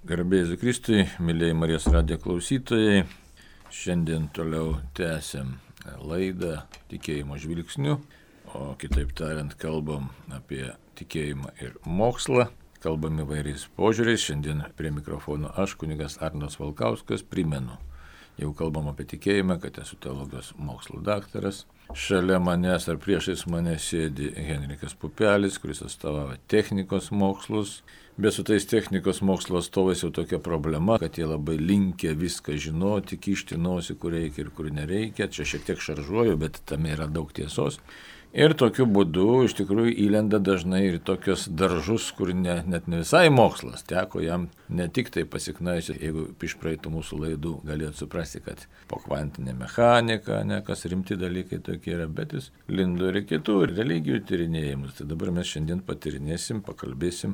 Garbė Jėzui Kristui, mėlyjei Marijos radijo klausytojai, šiandien toliau tęsiam laidą tikėjimo žvilgsniu, o kitaip tariant kalbam apie tikėjimą ir mokslą, kalbam įvairiais požiūriais. Šiandien prie mikrofono aš, kunigas Arnas Valkauskas, primenu, jau kalbam apie tikėjimą, kad esu teologijos mokslo daktaras. Šalia manęs ar priešais mane sėdi Henrikas Pupelis, kuris atstovauja technikos mokslus. Bet su tais technikos mokslo atstovais jau tokia problema, kad jie labai linkę viską žinoti, kišti nosį, kur reikia ir kur nereikia. Čia šiek tiek šaržuoju, bet tame yra daug tiesos. Ir tokiu būdu iš tikrųjų įlenda dažnai ir tokios daržus, kur net ne visai mokslas. Teko jam ne tik tai pasiknaisiu, jeigu iš praeitų mūsų laidų galėtų suprasti, kad po kvantinė mechanika, kas rimti dalykai tokie yra, bet jis lindo ir kitų religijų tyrinėjimus. Tai dabar mes šiandien patyrinėsim, pakalbėsim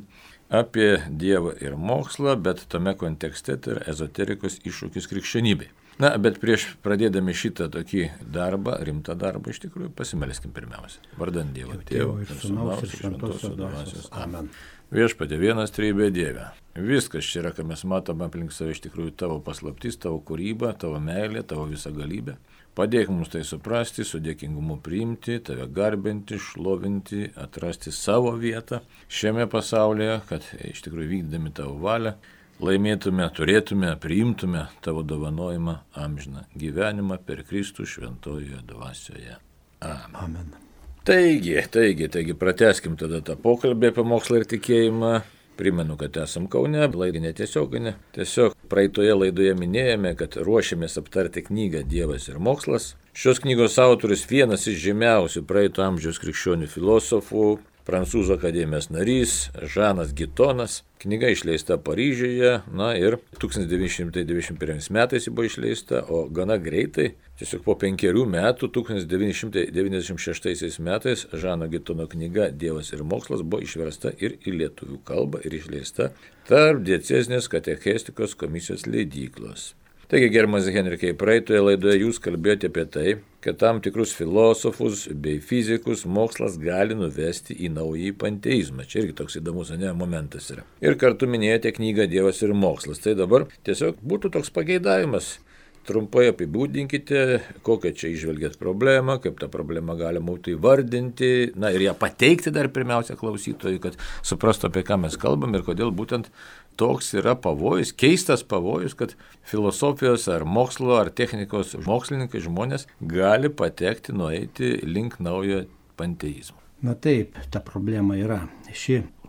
apie Dievą ir mokslą, bet tame kontekste tai yra ezoterikos iššūkis krikščionybei. Na, bet prieš pradėdami šitą tokį darbą, rimtą darbą, iš tikrųjų pasimelskim pirmiausia. Vardant Dievo Tėvo ir Sūnaus ir Šventosios Dvasios. Amen. Viešpatie vienas trejybė Dieve. Viskas čia yra, ką mes matome aplink save, iš tikrųjų tavo paslaptis, tavo kūryba, tavo meilė, tavo visa galybė. Padėk mums tai suprasti, su dėkingumu priimti, tave garbinti, šlovinti, atrasti savo vietą šiame pasaulyje, kad iš tikrųjų vykdami tavo valią laimėtume, turėtume, priimtume tavo dovanojimą amžiną gyvenimą per Kristų šventojoje dvasioje. Amen. Taigi, pratęskim tada tą pokalbį apie mokslą ir tikėjimą. Primenu, kad esam Kaune, laidinė tiesioginė. Tiesiog praeitoje laidoje minėjome, kad ruošiamės aptarti knygą Dievas ir mokslas. Šios knygos autorius vienas iš žymiausių praeito amžiaus krikščionių filosofų, Prancūzų akademijos narys Žanas Gitonas. Knyga išleista Paryžiuje, ir 1991 metais ji buvo išleista, o gana greitai, tiesiog po 5 metų, 1996 metais Žano Gitono knyga Dievas ir mokslas buvo išversta ir į lietuvių kalbą ir išleista tarp diecezinės katechestikos komisijos leidyklos. Taigi, gerbiamas Henrikai, praeitoje laidoje jūs kalbėjote apie tai, kad tam tikrus filosofus bei fizikus mokslas gali nuvesti į naująjį panteizmą. Čia irgi toks įdomus momentas yra. Ir kartu minėjote knygą Dievas ir mokslas. Tai dabar tiesiog būtų toks pageidavimas. Trumpai apibūdinkite, kokią čia įžvelgėt problemą, kaip tą problemą galima būtų įvardinti, ir ją pateikti dar pirmiausia klausytojui, kad suprastų, apie ką mes kalbam ir kodėl būtent toks yra pavojus, keistas pavojus, kad filosofijos ar mokslo ar technikos mokslininkai žmonės gali patekti, nueiti link naujo panteizmo. Na taip, ta problema yra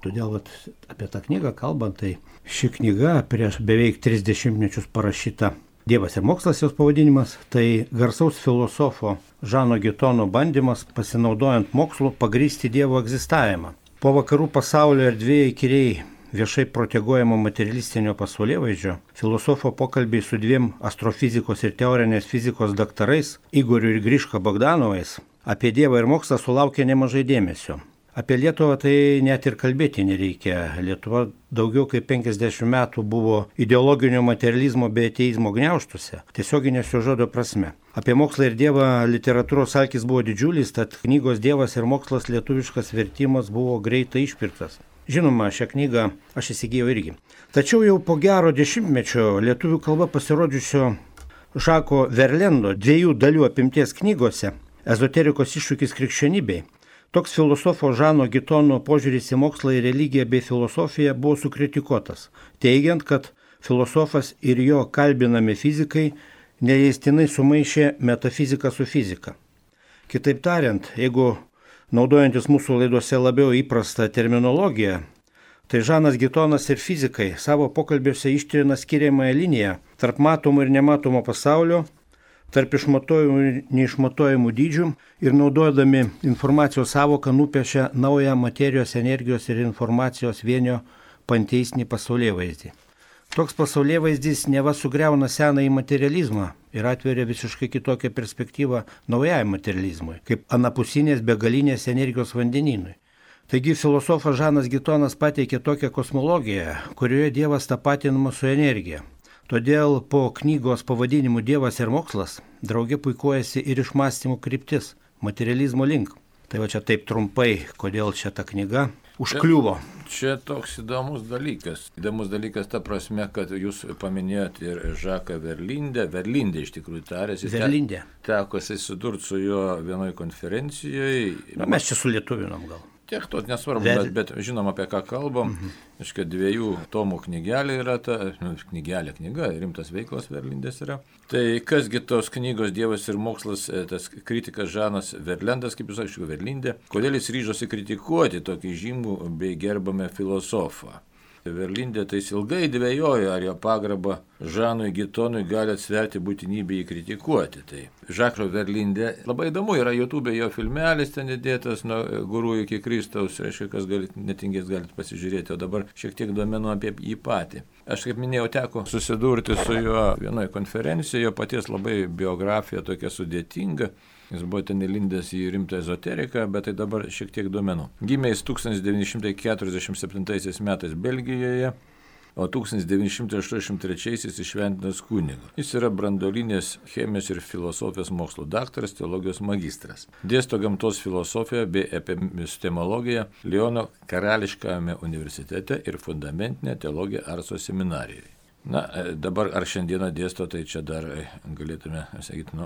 todėl apie tą knygą kalbant, tai ši knyga prieš beveik 30 mečius parašyta Dievas ir mokslas jos pavadinimas, tai garsaus filosofo Žano Gitono bandymas pasinaudojant mokslu pagrįsti Dievo egzistavimą. Po vakarų pasaulio erdvėje įkyriai viešai proteguojamo materialistinio pasaulėvaizdžio, filosofo pokalbiai su 2 astrofizikos ir teorinės fizikos daktarais, Igoriu ir Griška Bogdanovais, apie Dievą ir mokslą sulaukė nemažai dėmesio. Apie Lietuvą tai net ir kalbėti nereikia. Lietuva daugiau kaip 50 metų buvo ideologinio materializmo bei ateizmo gniaužtuose, tiesioginės šio žodžio prasme. Apie mokslą ir Dievą literatūros alkis buvo didžiulis, tad knygos Dievas ir mokslas lietuviškas vertimas buvo greitai išpirktas. Žinoma, šią knygą aš įsigijau irgi. Tačiau jau po gero 10-mečio lietuvių kalba pasirodžiusio Žako Verlendo 2 dalių apimties knygose Ezoterikos iššūkis krikščionybei, toks filosofo Žano Gitono požiūris į mokslą ir religiją bei filosofiją buvo sukritikuotas, teigiant, kad filosofas ir jo kalbinami fizikai neleistinai sumaišė metafiziką su fizika. Kitaip tariant, jeigu naudojantis mūsų laidose labiau įprastą terminologiją, tai Žanas Gitonas ir fizikai savo pokalbiuose ištrina skiriamąją liniją tarp matomo ir nematomo pasaulio, tarp išmatuojamų ir neišmatuojamų dydžių ir naudodami informacijos savoką nupiešia naują materijos, energijos ir informacijos vienio panteistinį pasaulėvaizdį. Toks pasaulėvaizdis neva sugriauna senąjį materializmą ir atveria visiškai kitokią perspektyvą naujajam materializmui, kaip anapusinės begalinės energijos vandenynui. Taigi filosofas Žanas Gitonas pateikė tokią kosmologiją, kurioje Dievas tapatinamas su energija. Todėl po knygos pavadinimu Dievas ir mokslas drauge puikuojasi ir išmąstymų kryptis materializmo link. Tai va čia taip trumpai, kodėl čia ta knyga. užkliuvo. Čia toks įdomus dalykas. Įdomus dalykas ta prasme, kad jūs paminėjot ir Žaką Verlindę. Verlindė iš tikrųjų tarėsi. Verlindė. Teko susidurti su juo vienoje konferencijoje. Mes čia sulietuvinom gal. Tiek to nesvarbu, bet žinom apie ką kalbam. Iškai 2 tomų knygelė yra ta, knyga, rimtas veiklas Verlindės yra. Tai kasgi tos knygos Dievas ir mokslas, tas kritikas Žanas Verlendas, kaip jūs aišku, Verlindė, kodėl jis ryžosi kritikuoti tokį žymų bei gerbamą filosofą. Verlindė tai ilgai dvejojo, ar jo pagarbą Žanui Gitonui gali atsverti būtinybę jį kritikuoti. Tai Žako Verlindė, labai įdomu, yra YouTube jo filmelis ten įdėtas nuo gurų iki Kristaus, reiškia, kas netingės galite pasižiūrėti, o dabar šiek tiek duomenų apie jį patį. Aš kaip minėjau, teko susidurti su juo vienoje konferencijoje, jo paties labai biografija tokia sudėtinga. Jis buvo ten įlindęs į rimtą ezoteriką, bet tai dabar šiek tiek duomenų. Gimė jis 1947 metais Belgijoje, o 1983 įšventintas kunigu. Jis yra branduolinės chemijos ir filosofijos mokslų daktaras, teologijos magistras. Dėsto gamtos filosofiją bei epistemologiją Liono karališkajame universitete ir fundamentinę teologiją Arso seminarijoje. Na, dabar ar šiandieną dėsto, tai čia dar galėtume sakyti,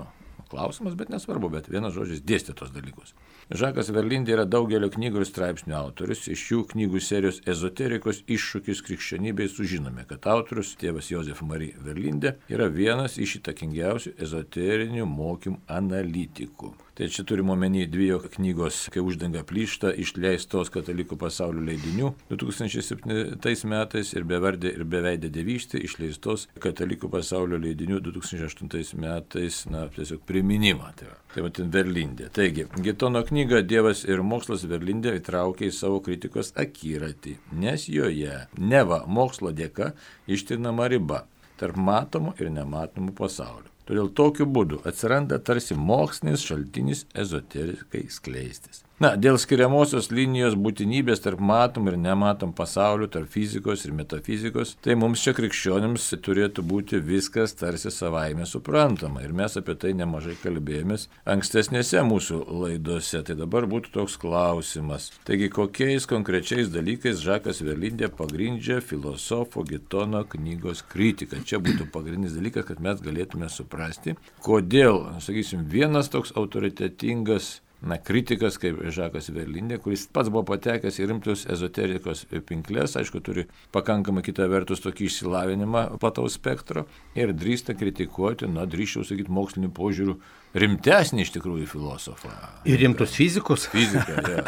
klausimas, bet nesvarbu, bet vienas žodžis dėstė tos dalykus. Žakas Verlindė yra daugelio knygų ir straipsnių autorius. Iš šių knygų serijos ezoterikos iššūkis krikščionybei sužinome, kad autorius, tėvas Josef Marie Verlindė, yra vienas iš įtakingiausių ezoterinių mokymų analitikų. Tai čia turime omeny 2 knygos, kai uždanga plyšta, išleistos katalikų pasaulio leidinių 2007 metais ir Bevardė ir beveidė dievystė išleistos katalikų pasaulio leidinių 2008 metais, tiesiog priminimą. Tai va ten Verlindė. Taigi, Gitono knygą Dievas ir mokslas Verlindė įtraukė į savo kritikos akiratį, nes joje neva mokslo dėka ištrinama riba tarp matomų ir nematomų pasaulių. Todėl tokiu būdu atsiranda tarsi mokslinis šaltinis ezoterikai skleistis. Dėl skiriamosios linijos būtinybės tarp matom ir nematom pasaulių, tarp fizikos ir metafizikos, tai mums čia krikščionims turėtų būti viskas tarsi savaime suprantama. Ir mes apie tai nemažai kalbėjomės ankstesnėse mūsų laidose. Tai dabar būtų toks klausimas. Taigi, kokiais konkrečiais dalykais Žakas Verlindė pagrindžia filosofo Gitono knygos kritiką? Čia būtų pagrindinis dalykas, kad mes galėtume suprasti, kodėl, sakysim, vienas toks autoritetingas kritikas kaip Žakas Verlindė, kuris pats buvo patekęs į rimtus ezoterikos pinklės, aišku, turi pakankamai kitą vertus tokį išsilavinimą plataus spektro ir drįsta kritikuoti, drįsčiau sakyti, mokslinių požiūrių rimtesnį iš tikrųjų filosofą. Ir rimtus fizikus? Fizika, ja.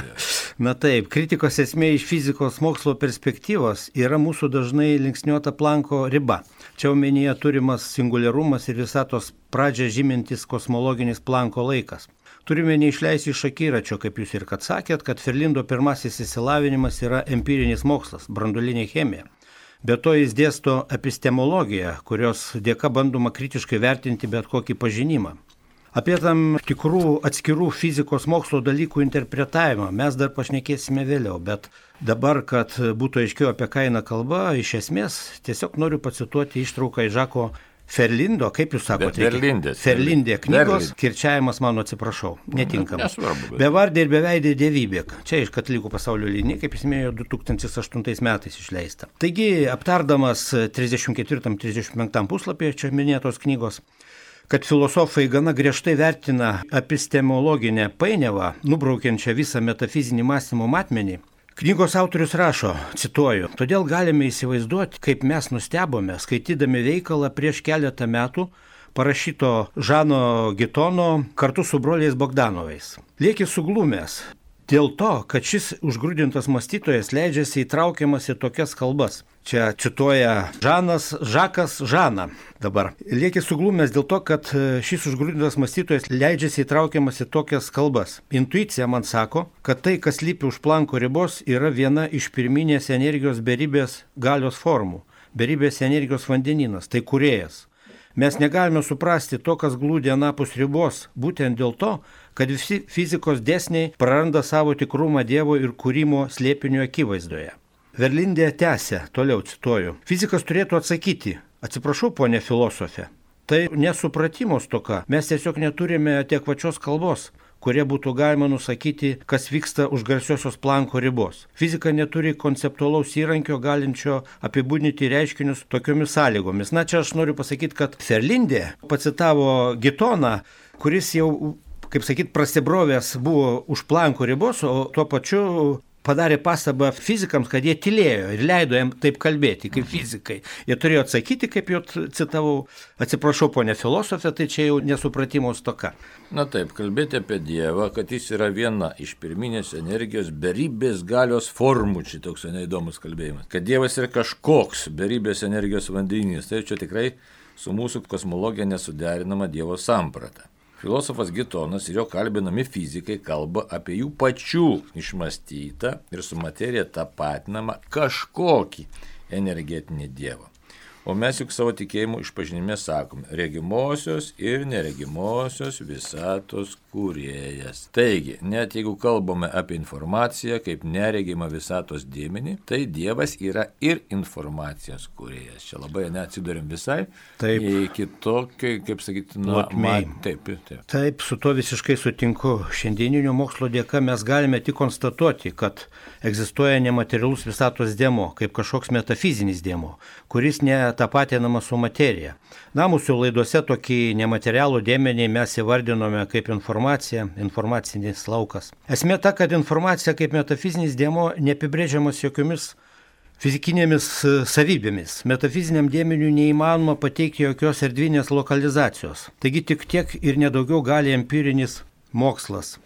Taip, kritikos esmė iš fizikos mokslo perspektyvos yra mūsų dažnai linksniuota Planko riba. Čia omenyje turimas singuliarumas ir visatos pradžią žymintis kosmologinis Planko laikas. Turime neišleisti iš akiračio, kaip jūs ir kad sakėt, kad Verlindo pirmasis išsilavinimas yra empirinis mokslas, branduolinė chemija. Be to jis dėsto epistemologiją, kurios dėka bandoma kritiškai vertinti bet kokį pažinimą. Apie tam tikrų atskirų fizikos mokslo dalykų interpretavimą mes dar pašnekėsime vėliau, bet dabar, kad būtų aiškiau apie ką eina kalba, iš esmės tiesiog noriu pacituoti ištrauką iš Žako Verlindo, kaip jūs sakote? Verlindė knygos, kirčiavimas mano atsiprašau, netinkamas. Bevardė ir beveidė dievybė. Čia iš katalikų pasaulio linija, kaip jis minėjo, 2008 metais išleista. Taigi, aptardamas 34-35 puslapyje čia minėtos knygos, kad filosofai gana griežtai vertina epistemologinę painiavą, nubraukiančią visą metafizinį mąstymo matmenį, knygos autorius rašo, cituoju, todėl galime įsivaizduoti, kaip mes nustebome, skaitydami veikalą prieš keletą metų parašyto Žano Gitono kartu su broliais Bogdanovais. Lieki suglumęs dėl to, kad šis užgrūdintas mąstytojas leidžiasi įtraukiamas į tokias kalbas. Čia cituoja Žakas Žaną dabar. Lieki suglumęs dėl to, kad šis užgrūdintas mąstytojas leidžiasi įtraukiamas į tokias kalbas. Intuicija man sako, kad tai, kas lypi už Planko ribos, yra viena iš pirminės energijos beribės galios formų. Beribės energijos vandeninas, tai kūrėjas. Mes negalime suprasti to, kas glūdi anapus ribos, būtent dėl to, kad visi fizikos dėsniai praranda savo tikrumą Dievo ir kūrimo slėpinio akivaizdoje. Verlindė tęsia, toliau cituoju, fizikas turėtų atsakyti, atsiprašau, ponė filosofė, tai nesupratimo stoka, mes tiesiog neturime adekvačios kalbos, kurie būtų galima nusakyti, kas vyksta už garsiosios Plancko ribos. Fizika neturi konceptualaus įrankio, galinčio apibūdinti reiškinius tokiomis sąlygomis. Na, čia aš noriu pasakyti, kad Ferlindė pacitavo Gitoną, kuris jau, kaip sakyt, prasibrovęs buvo už Plancko ribos, o tuo pačiu padarė pastabą fizikams, kad jie tylėjo ir leido jam taip kalbėti, kaip fizikai. Jie turėjo atsakyti, kaip jau citavau, atsiprašau, ponė filosofė, tai čia jau nesupratimo stoka. Na taip, kalbėti apie Dievą, kad jis yra viena iš pirminės energijos beribės galios formų, čia toks neįdomus kalbėjimas. Kad Dievas yra kažkoks beribės energijos vandenys, tai čia tikrai su mūsų kosmologija nesuderinama Dievo samprata. Filosofas Gitonas ir jo kalbinami fizikai kalba apie jų pačių išmąstytą ir su materija tapatinamą kažkokį energetinį Dievą. O mes juk savo tikėjimu išpažinime sakome regimosios ir neregimosios visatos kūrėjas. Taigi, net jeigu kalbame apie informaciją kaip neregimą visatos dėmenį, tai Dievas yra ir informacijos kūrėjas. Čia labai neatsidurim visai į kitokį, kaip sakyti, taip. Taip, su to visiškai sutinku. Šiandieninio mokslo dėka mes galime tik konstatuoti, kad egzistuoja nematerialus visatos dėmuo, kaip kažkoks metafizinis dėmuo, kuris netapatinamas su materija. Na, mūsų laidose tokį nematerialų dėmenį mes įvardinome kaip informacinis laukas. Esmė ta, kad informacija kaip metafizinis dėmuo neapibrėžiamas jokiomis fizikinėmis savybėmis. Metafiziniam dėmeniui neįmanoma pateikti jokios erdvinės lokalizacijos. Taigi tik tiek ir nedaugiau gali empirinis mokslas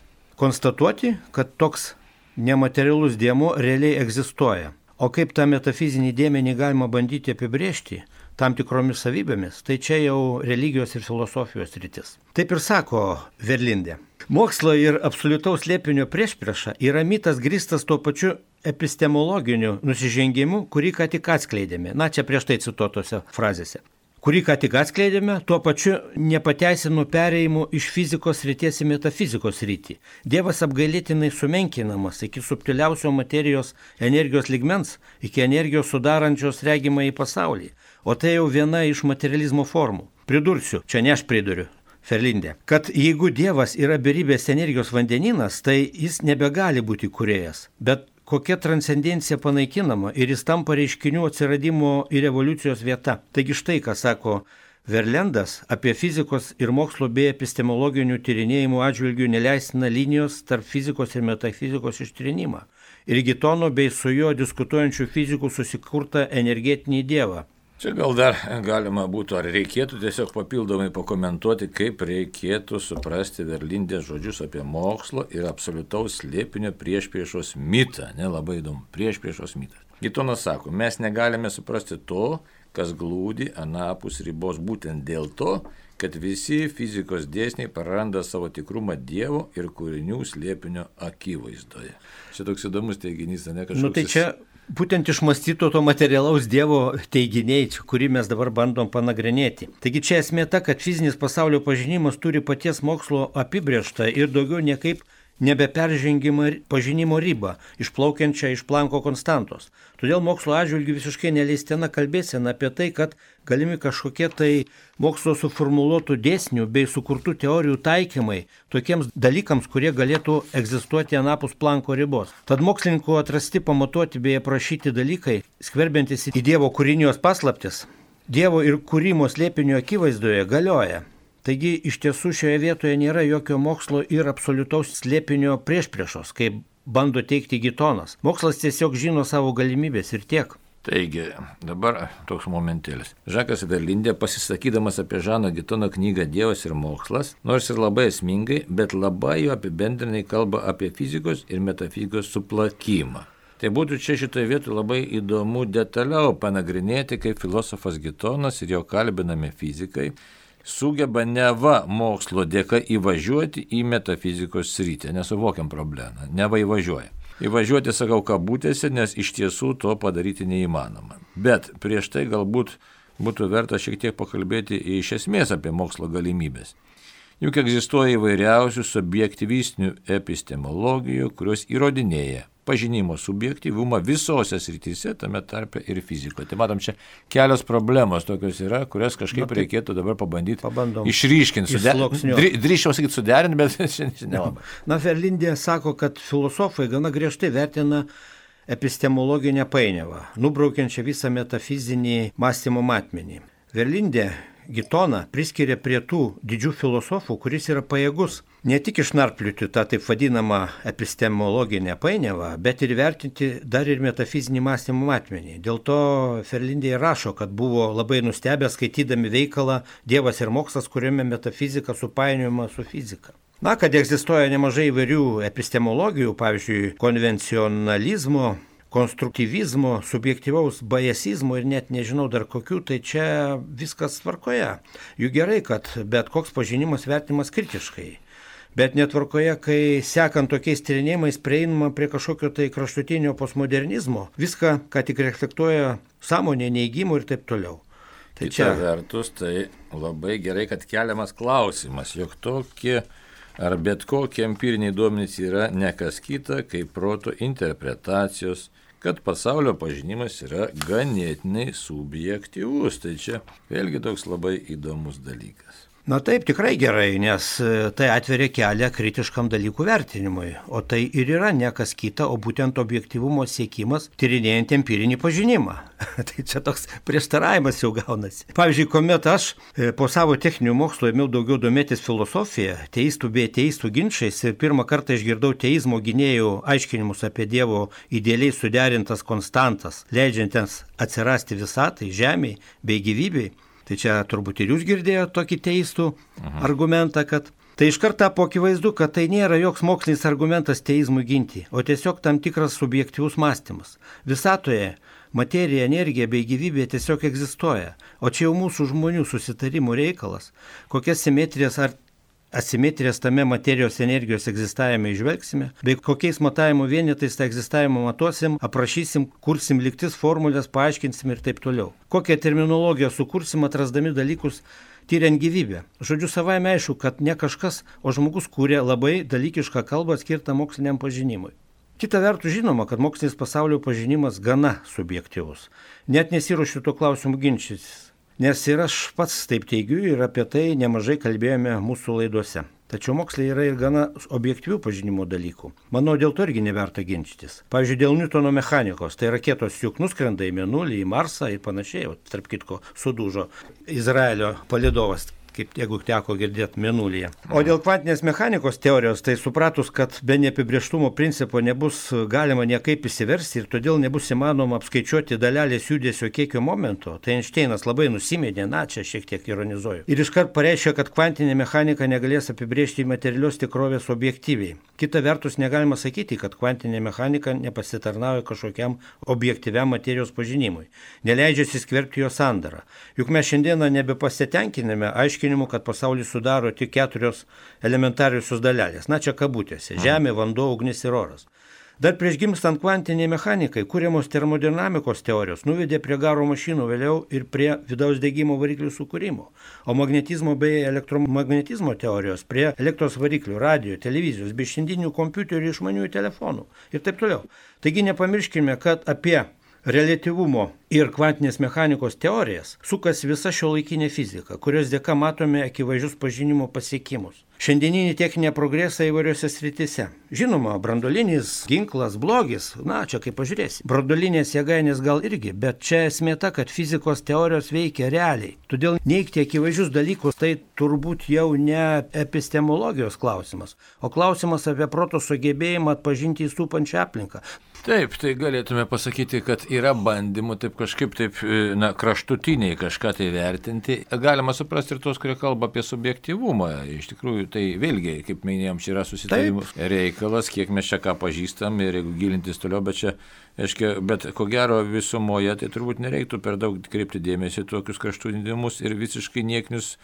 konstatuoti, kad toks nematerialus dėmuo realiai egzistuoja. O kaip tą metafizinį dėmenį galima bandyti apibrėžti tam tikromis savybėmis, tai čia jau religijos ir filosofijos rytis. Taip ir sako Ferlindė. Mokslo ir absoliutaus slėpinio priešprieša yra mitas grįstas tuo pačiu epistemologiniu nusižengimu, kurį ką tik atskleidėme. Na, čia prieš tai cituotose frazėse. Kurį ką tik atskleidėme, tuo pačiu nepateisinu perėjimų iš fizikos srities į metafizikos sritį. Dievas apgailėtinai sumenkinamas iki subtiliausio materijos energijos lygmens, iki energijos sudarančios regimą į pasaulį. O tai jau viena iš materializmo formų. Pridursiu, čia ne aš priduriu, Ferlindė, kad jeigu Dievas yra beribės energijos vandenynas, tai jis nebegali būti kūrėjas, bet kokia transcendencija panaikinama ir jis tampa reiškinių atsiradimo ir evoliucijos vieta. Taigi štai, ką sako Verlendas apie fizikos ir mokslo bei epistemologinių tyrinėjimų atžvilgių neleistiną linijos tarp fizikos ir metafizikos ištrinimą ir Gitono bei su juo diskutuojančių fizikų susikurtą energetinį dievą. Čia gal dar galima būtų, ar reikėtų tiesiog papildomai pakomentuoti, kaip reikėtų suprasti Verlindės žodžius apie mokslo ir absoliutaus slėpinio priešpriešos mitą. Nelabai įdomu, priešpriešos mitas. Gitonas sako, mes negalime suprasti to, kas glūdi anapus ribos būtent dėl to, kad visi fizikos dėsniai praranda savo tikrumą Dievo ir kūrinių slėpinio akivaizdoje. Čia toks įdomus teiginys, ne kažkoks... Tai čia būtent išmąstyto to materialaus Dievo teiginiai, kurį mes dabar bandom panagrinėti. Taigi čia esmė ta, kad fizinis pasaulio pažinimas turi paties mokslo apibrėžtą ir daugiau niekaip nebeperžengimą pažinimo ribą, išplaukiančią iš Plancko konstantos. Todėl mokslo atžvilgiu visiškai neleistina kalbėsena apie tai, kad galimi kažkokie tai mokslo suformuluotų dėsnių bei sukurtų teorijų taikymai tokiems dalykams, kurie galėtų egzistuoti anapus Plancko ribos. Tad mokslininkų atrasti, pamatuoti bei aprašyti dalykai, skverbiantis į Dievo kūrinijos paslaptis, Dievo ir kūrimo slėpinio akivaizdoje galioja. Taigi iš tiesų šioje vietoje nėra jokio mokslo ir absoliutaus slėpinio priešpriešos, kaip bando teikti Gitonas. Mokslas tiesiog žino savo galimybės ir tiek. Taigi, dabar toks momentėlis. Žakas Verlindė, pasisakydamas apie Žano Gitono knygą Dievas ir mokslas, nors ir labai esmingai, bet labai jo apibendrinai kalba apie fizikos ir metafizikos suplakimą. Tai būtų čia šitoje vietoje labai įdomu detaliau panagrinėti, kaip filosofas Gitonas ir jo kalbinami fizikai sugeba neva mokslo dėka įvažiuoti į metafizikos sritį. Nesuvokiam problemą, neva įvažiuoja. Įvažiuoti sakau kabutėse, nes iš tiesų to padaryti neįmanoma. Bet prieš tai galbūt būtų verta šiek tiek pakalbėti iš esmės apie mokslo galimybės. Juk egzistuoja įvairiausių subjektyvistinių epistemologijų, kurios įrodinėja, pažinimo subjektyvumą visose srityse, tame tarpe ir fizikoje. Tai matom, čia kelios problemos tokios yra, kurias kažkaip reikėtų dabar pabandyti išryškinti. Drįščiau sakyti suderinti, bet šiandien nelabai. Verlindė sako, kad filosofai gana griežtai vertina epistemologinę painiavą, nubraukiančią visą metafizinį mąstymo matmenį. Verlindė Gitoną priskiria prie tų didžių filosofų, kuris yra pajėgus ne tik išnarpliuoti tą taip vadinamą epistemologinę painiavą, bet ir vertinti dar ir metafizinį mąstymo matmenį. Dėl to Verlindė rašo, kad buvo labai nustebę skaitydami veikalą Dievas ir mokslas, kuriame metafizika supainiojama su fizika. Na, kad egzistuoja nemažai įvairių epistemologijų, pavyzdžiui, konvencionalizmo, konstruktyvizmo, subjektyvaus bajasizmo ir net nežinau dar kokių, tai čia viskas tvarkoje. Juk gerai, kad bet koks pažinimas vertinimas kritiškai. Bet netvarkoje, kai sekant tokiais tyrinėjimais prieinama prie kažkokio tai kraštutinio postmodernizmo, viską, ką tik reflektuoja sąmonė, neigimų ir taip toliau. Tai kita vertus, tai labai gerai, kad keliamas klausimas, jog tokie ar bet kokie empiriniai duomenys yra ne kas kita, kaip proto interpretacijos, kad pasaulio pažinimas yra ganėtinai subjektyvus. Tai čia vėlgi toks labai įdomus dalykas. Na taip, tikrai gerai, nes tai atveria kelią kritiškam dalykų vertinimui, o tai ir yra ne kas kita, o būtent objektyvumo siekimas tyrinėjant empirinį pažinimą. Tai čia toks prieštaravimas jau gaunasi. Pavyzdžiui, kuomet aš po savo techninių mokslo ėmiau daugiau domėtis filosofija, teistų bei teistų ginčiais ir pirmą kartą išgirdau teizmo gynėjų aiškinimus apie Dievo idealiai suderintas konstantas, leidžiantiems atsirasti visatai, žemei bei gyvybei. Tai čia turbūt ir jūs girdėjote tokį teistų argumentą, kad tai iškart tapo akivaizdu, kad tai nėra joks mokslinis argumentas teizmui ginti, o tiesiog tam tikras subjektyvus mąstymas. Visatoje materija, energija bei gyvybė tiesiog egzistuoja, o čia jau mūsų žmonių susitarimų reikalas, kokias simetrijas ar asimetrijas tame materijos energijos egzistavime išvelgsime, bei kokiais matavimo vienetais tą egzistavimą matuosim, aprašysim, kursim lygtis, formulės, paaiškinsim ir taip toliau. Kokią terminologiją sukursim, atrasdami dalykus, tyriant gyvybę. Žodžiu, savaime aišku, kad ne kažkas, o žmogus kūrė labai dalykišką kalbą skirtą moksliniam pažinimui. Kita vertus žinoma, kad mokslinis pasaulio pažinimas gana subjektyvus. Net nesiruošiu tuo klausimu ginčytis. Nes ir aš pats taip teigiu ir apie tai nemažai kalbėjome mūsų laidose. Tačiau moksle yra ir gana objektyvių pažinimo dalykų. Manau, dėl to irgi neverta ginčytis. Pavyzdžiui, dėl Niutono mechanikos, tai raketos juk nuskrenda į Mėnulį, į Marsą ir panašiai. Tarp kitko, sudužo Izraelio palydovas, kaip jeigu teko girdėti Mėnulyje. O dėl kvantinės mechanikos teorijos, tai supratus, kad be neapibrėžtumo principo nebus galima niekaip įsiversti ir todėl nebus įmanoma apskaičiuoti dalelės judesio kiekio momento, tai Einšteinas labai nusimėdė, čia šiek tiek ironizuoju. Ir iškart pareiškė, kad kvantinė mechanika negalės apibrėžti materialios tikrovės objektyviai. Kita vertus, negalima sakyti, kad kvantinė mechanika nepasitarnauja kažkokiam objektyviam materijos pažinimui. Neleidžia įsiskverbti jo sandarą. Juk mes šiandieną nebepasitenkiname aiškinimu, kad pasaulį sudaro tik 4 elementariusios dalelės. Čia kabutėse - žemė, vanduo, ugnis ir oras. Dar prieš gimstant kvantiniai mechanikai, kūriamos termodinamikos teorijos nuvedė prie garo mašinų, vėliau ir prie vidaus degimo variklių sukūrimo, o magnetizmo bei elektromagnetizmo teorijos prie elektros variklių, radio, televizijos bei šiandienių kompiuterių ir išmaniųjų telefonų ir taip toliau. Taigi nepamirškime, kad apie reliatyvumo ir kvantinės mechanikos teorijas sukasi visa šiuolaikinė fizika, kurios dėka matome akivaizdžius pažinimo pasiekimus. Šiandieninį techninę progresą įvairiose srityse. Žinoma, branduolinis ginklas blogis, čia kaip pažiūrėsi. Branduolinės jėgainės gal irgi, bet čia esmė ta, kad fizikos teorijos veikia realiai. Todėl neigti akivaizdžius dalykus tai turbūt jau ne epistemologijos klausimas, o klausimas apie proto sugebėjimą atpažinti įsupančią aplinką. Taip, tai galėtume pasakyti, kad yra bandymų taip kažkaip kraštutiniai kažką tai vertinti. Galima suprasti ir tos, kurie kalba apie subjektyvumą. Iš tikrųjų, tai vėlgi, kaip minėjom, čia yra susitarimų reikalas, kiek mes čia ką pažįstam ir jeigu gilintis toliau, bet ko gero visumoje, tai turbūt nereiktų per daug kreipti dėmesį tokius kraštutinimus ir visiškai nieknius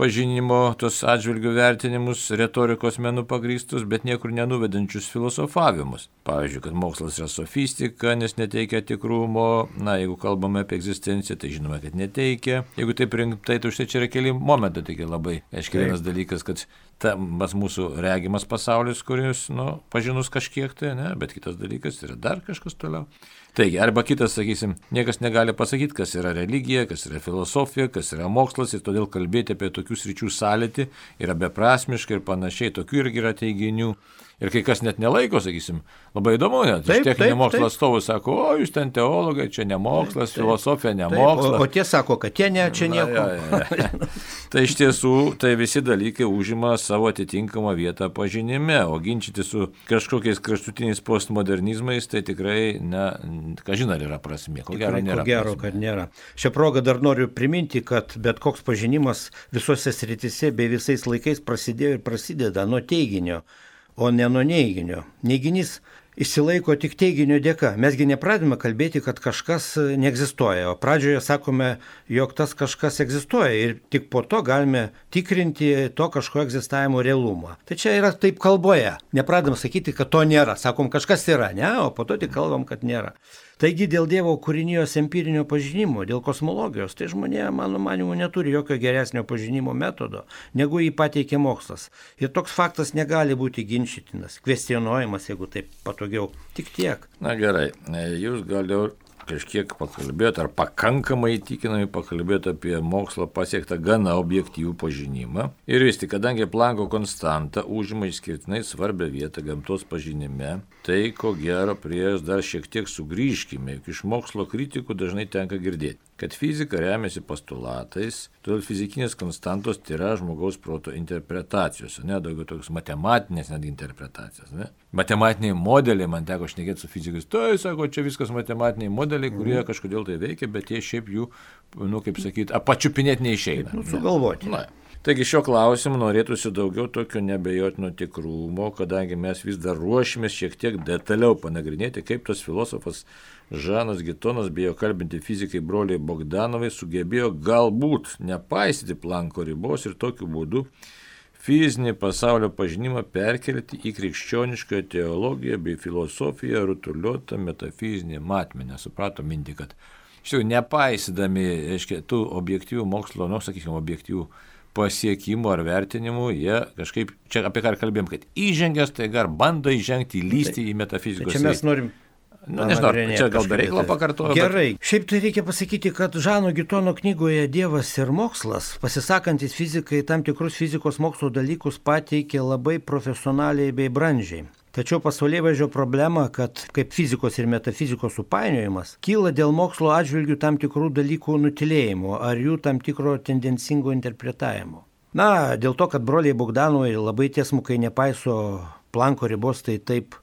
pažinimo, tos atžvilgių vertinimus, retorikos menų pagrįstus, bet niekur nenuvedančius filosofavimus. Pavyzdžiui, kad mokslas yra sofistika, nes neteikia tikrumo, jeigu kalbame apie egzistenciją, tai žinome, kad neteikia. Jeigu taip rimtai, tai už tai čia yra keli momentai, tai labai aiškiai vienas dalykas, kad tas mūsų regimas pasaulis, kuris, pažinus kažkiek tai, ne, bet kitas dalykas yra dar kažkas toliau. Taigi, arba kitas, sakysim, niekas negali pasakyti, kas yra religija, kas yra filosofija, kas yra mokslas ir todėl kalbėti apie tokių sričių sąlytį yra beprasmiška ir panašiai, tokių irgi yra teiginių. Ir kai kas net nelaiko, sakysim, labai įdomu, net iš techninio mokslo atstovų sako, o jūs ten teologai, čia ne mokslas, filosofija ne mokslas. O tie sako, kad tie ne, čia nieko. Tai iš tiesų, tai visi dalykai užima savo atitinkamą vietą pažinime, o ginčyti su kažkokiais kraštutiniais postmodernizmais, tai tikrai, kažin ar yra prasmė, ko gero nėra. Ko gero, kad nėra. Šią progą dar noriu priminti, kad bet koks pažinimas visose srityse bei visais laikais prasidėjo ir prasideda nuo teiginio, o ne nuo neiginio. Neiginys išsilaiko tik teiginio dėka. Mesgi nepradėjome kalbėti, kad kažkas neegzistuoja, o pradžioje sakome, jog tas kažkas egzistuoja ir tik po to galime tikrinti to kažko egzistavimo realumą. Tai čia yra taip kalboje. Nepradėm sakyti, kad to nėra. Sakom, kažkas yra, ne, o po to tik kalbam, kad nėra. Taigi dėl Dievo kūrinijos empirinio pažinimo, dėl kosmologijos, tai žmonė, mano manimu, neturi jokio geresnio pažinimo metodo, negu jį pateikė mokslas. Ir toks faktas negali būti ginčytinas, kvestionuojamas, jeigu taip patogiau. Tik tiek. Na gerai, jūs gal jau kažkiek pakalbėjote, ar pakankamai įtikinamai pakalbėjote apie mokslo pasiektą gana objektyvų pažinimą. Ir vis tik, kadangi Plancko konstanta užima išskirtinai svarbią vietą gamtos pažinime, tai ko gero prie jos dar šiek tiek sugrįžkime, juk iš mokslo kritikų dažnai tenka girdėti, kad fizika remiasi postulatais, todėl fizikinės konstantos tai yra žmogaus proto interpretacijos, daugiau tokios matematinės net interpretacijos. Matematiniai modeliai, man teko šnekėti su fizikais, tai sako, čia viskas matematiniai modeliai, kurie kažkodėl tai veikia, bet jie šiaip jų, kaip sakyti, pačiupinėti neišeina. Sugalvoti. Taigi šio klausimu norėtųsi daugiau tokio nebejotino tikrumo, kadangi mes vis dar ruošimės šiek tiek detaliau panagrinėti, kaip tas filosofas Žanas Gitonas bei jo kalbinti fizikai broliai Bogdanovai sugebėjo galbūt nepaisyti Plancko ribos ir tokiu būdu fizinį pasaulio pažinimą perkelti į krikščionišką teologiją bei filosofiją rutuliuotą metafizinį matmenį. Suprato mintį, kad iš tikrųjų nepaisydami, tų objektyvių mokslo, objektyvių pasiekimų ar vertinimų, jie kažkaip, čia apie ką kalbėjom, kad įžengęs, tai gar bando įžengti, įlysti į metafizikos. Čia mes norim nežinau, čia gal be reikalo pakartoju. Gerai. Šiaip tai reikia pasakyti, kad Žano Gitono knygoje Dievas ir mokslas, pasisakantis fizikai tam tikrus fizikos mokslo dalykus pateikė labai profesionaliai bei brandžiai. Tačiau pasaulėvaizdžio problema, kad kaip fizikos ir metafizikos supainiojimas, kyla dėl mokslo atžvilgių tam tikrų dalykų nutilėjimo ar jų tam tikro tendencingo interpretavimo. Dėl to, kad broliai Bogdanovai labai tiesmukai nepaiso Plancko ribos, tai taip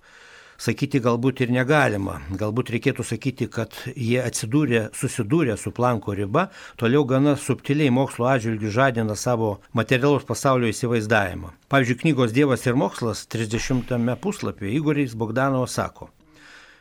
sakyti galbūt ir negalima. Galbūt reikėtų sakyti, kad jie susidūrė su Plancko riba, toliau gana subtiliai mokslo atžvilgių žadina savo materialaus pasaulio įsivaizdavimą. Pavyzdžiui, knygos Dievas ir mokslas 30 puslapyje Igoris Bogdanovas sako: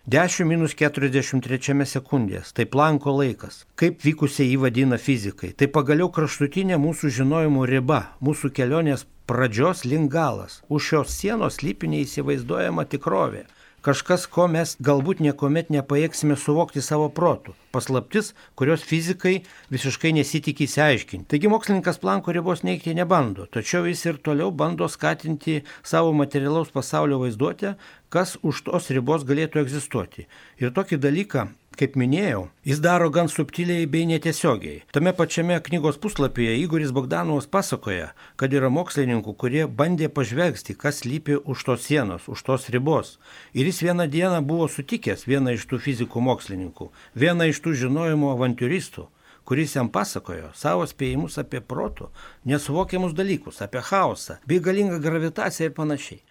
10-43 sekundės, tai Plancko laikas. Kaip vykusiai jį vadina fizikai, tai pagaliau kraštutinė mūsų žinojimo riba, mūsų kelionės pradžios link galas. Už šios sienos slypi neįsivaizduojama tikrovė. Kažkas, ko mes galbūt niekuomet nepajėgsime suvokti savo protu. Paslaptis, kurios fizikai visiškai nesitikė įsiaiškinti. Taigi mokslininkas Plancko ribos neigti nebando, tačiau jis ir toliau bando skatinti savo materialaus pasaulio vaizduotę, kas už tos ribos galėtų egzistuoti. Ir tokį dalyką, kaip minėjau, jis daro gan subtiliai bei netiesiogiai. Tame pačiame knygos puslapyje Igoris Bogdanovas pasakoja, kad yra mokslininkų, kurie bandė pažvelgti, kas slypi už tos sienos, už tos ribos. Ir jis vieną dieną buvo sutikęs vieną iš tų fizikų mokslininkų, vieną iš tų žinojimo avantiūristų, kuris jam pasakojo savo spėjimus apie protų, nesuvokiamus dalykus, apie chaosą, bei galingą gravitaciją ir panašiai.